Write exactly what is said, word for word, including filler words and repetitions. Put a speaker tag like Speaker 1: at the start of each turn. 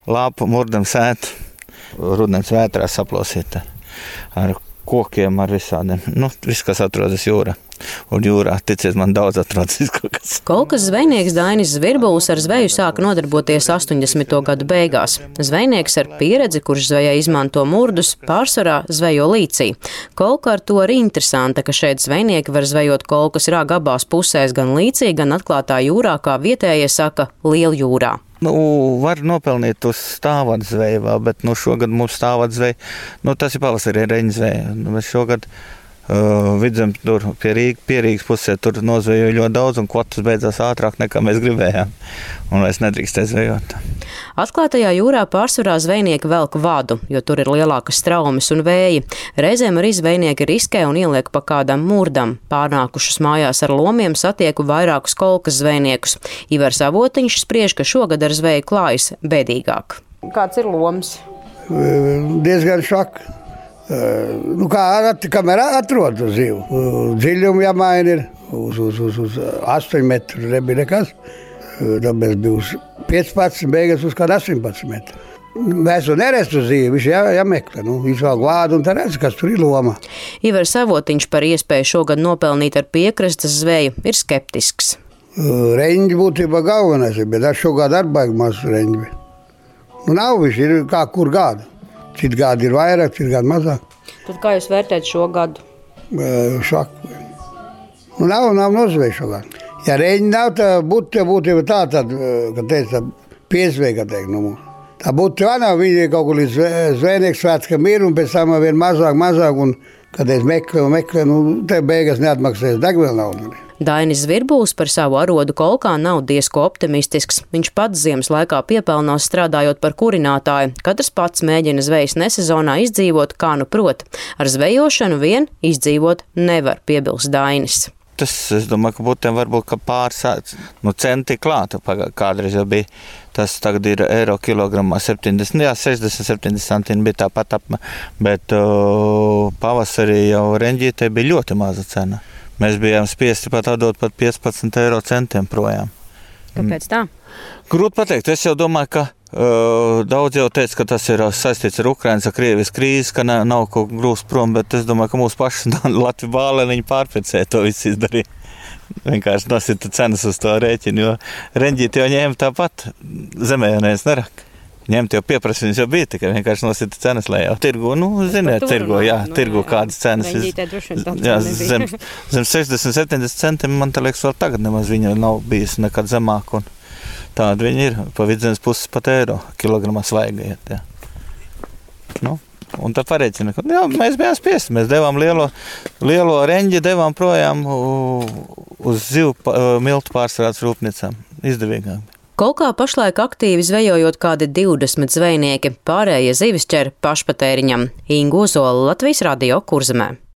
Speaker 1: lapu murdam sētu, rudens vētrā saplosīt ar kokiem, ar visādiem. Nu, viss, kas atrodas jūrā. Un jūrā, ticiet man, daudz atrodas kaut kas.
Speaker 2: Kolkas zvejnieks Dainis Zvirbulis ar zveju sāka nodarboties astoņdesmito gadu beigās. Zvejnieks ar pieredzi, kurš zvejā izmanto murdus, pārsvarā zvejo līcī. Kolka ar to arī interesanta, ka šeit zvejnieki var zvejot kolkas rāga abās pusēs, gan līcī, gan atklātā jūrā, kā vietējie saka, Lieljūrā.
Speaker 1: Nu, var nopelnīt uz stāvadzveju vēl, bet nu, šogad mums stāvadzveja, nu, tas ir pavasarī reņzveja. Nu, mēs šogad uh, vidzem tur pie, Rīga, pie Rīgas pusē tur nozvejoja ļoti daudz un kvotas beidzās ātrāk nekā mēs gribējām. Un vairs nedrīkstēja zvejot.
Speaker 2: Atklātajā jūrā pārsvarā zvejnieki velk vadu, jo tur ir lielākas straumes un vēji. Reizēm arī zvejnieki riskē un ieliek pa kādam murdam. Pārnākušus mājās ar lomiem satieku vairākus kolkas zvejniekus. Ivars Avotiņš spriež, ka šogad ar zveju klājas bēdīgāk. Kāds ir loms?
Speaker 3: Diezgan šak. Nu, kā at, kamēr atrod zivu. Dziļumu jāmaina ir uz, uz, uz, uz astoņu metru, nebija nekas. Tāpēc bija uz piecpadsmit, beigas uz kādu astoņpadsmit metru. Mēs to nerestu zīvi, viņš jā, jāmeklē. Nu, viņš vēl vādu un tā redz, kas tur ir loma.
Speaker 2: Ivars Avotiņš par iespēju šogad nopelnīt ar piekrastes zveju ir skeptisks.
Speaker 3: Reņģi būtībā galvenais, bet ar šogad ar baigi maz reņģi. Nu, nav viņš ir kā kur gada. Cit gadi ir vairāk, cit gadi mazāk.
Speaker 2: Tad kā jūs vērtēt šo gadu?
Speaker 3: Šak. Nu, nav, nav nozveja šogad. Ja reņģi nav, tā būtu būtība tā, tad, kad teica, piesveja, kad teikt, nu mums. Tā būtu tā nav, viņi kaut kur līdz zvejnieks svētkam ir, un pēc tam vien mazāk, mazāk, un kad es meklē, meklē, nu, te beigas neatmaksājas, degviela nav.
Speaker 2: Dainis Zvirbulis par savu arodu kolkā nav diezko optimistisks. Viņš pats ziemas laikā piepelnās strādājot par kurinātāju. Katrs pats mēģina zvejas nesezonā izdzīvot, kā nu prot. Ar zvejošanu vien izdzīvot nevar, piebilst Dainis.
Speaker 1: Tas, es domāju, ka būtiem varbūt, ka pāris nu, centi klāta. Kādreiz jau bija, tas tagad ir eiro kilogramā septiņdesmit, jā, sešdesmit, septiņdesmit centini bija tāpat apmē, bet uh, pavasarī jau reņģītei bija ļoti maza cena. Mēs bijām spiesti pat atdot pat piecpadsmit eiro centiem projām.
Speaker 2: Kāpēc tā?
Speaker 1: Grūti pateikt, es jau domāju, ka uh, daudz jau teica, ka tas ir saistīts ar Ukrainas, ar Krievijas krīzes, ka ne, nav kaut grūst prom, bet es domāju, ka mūsu paši Latviju bālēniņi pārprecēja to visu izdarīja. Vienkārši nosita cenas uz to rēķinu, jo reņģīti jau ņēma tāpat, zemē jau neviens nerak. Ņemt jau pieprasījums jau bija, tikai vienkārši nosita cenas lejā. Tirgu, nu, ziniet, tirgu, jā, tirgu kādas cenas. Jā, zem, zem sešdesmit, septiņdesmit centiem, man tā liekas, vēl tagad nemaz viņa nav bijis nekad zemāk, un tāda viņa ir, pa vidzemes puses pat eiro, kilogramā svaiga iet, jā. Nu, un tā pareicina, ka, jā, mēs bijām spiesti, mēs devām lielo, lielo reņģi, devām projām uz zivu miltu pārstrādes rūpnīcām, izdevīgāk.
Speaker 2: Kolkā pašlaik aktīvi zvejojot kādi divdesmit zvejnieki, pārējie zivis ķer pašpatēriņam. Ingu Ozola, Latvijas radio, Kurzemē.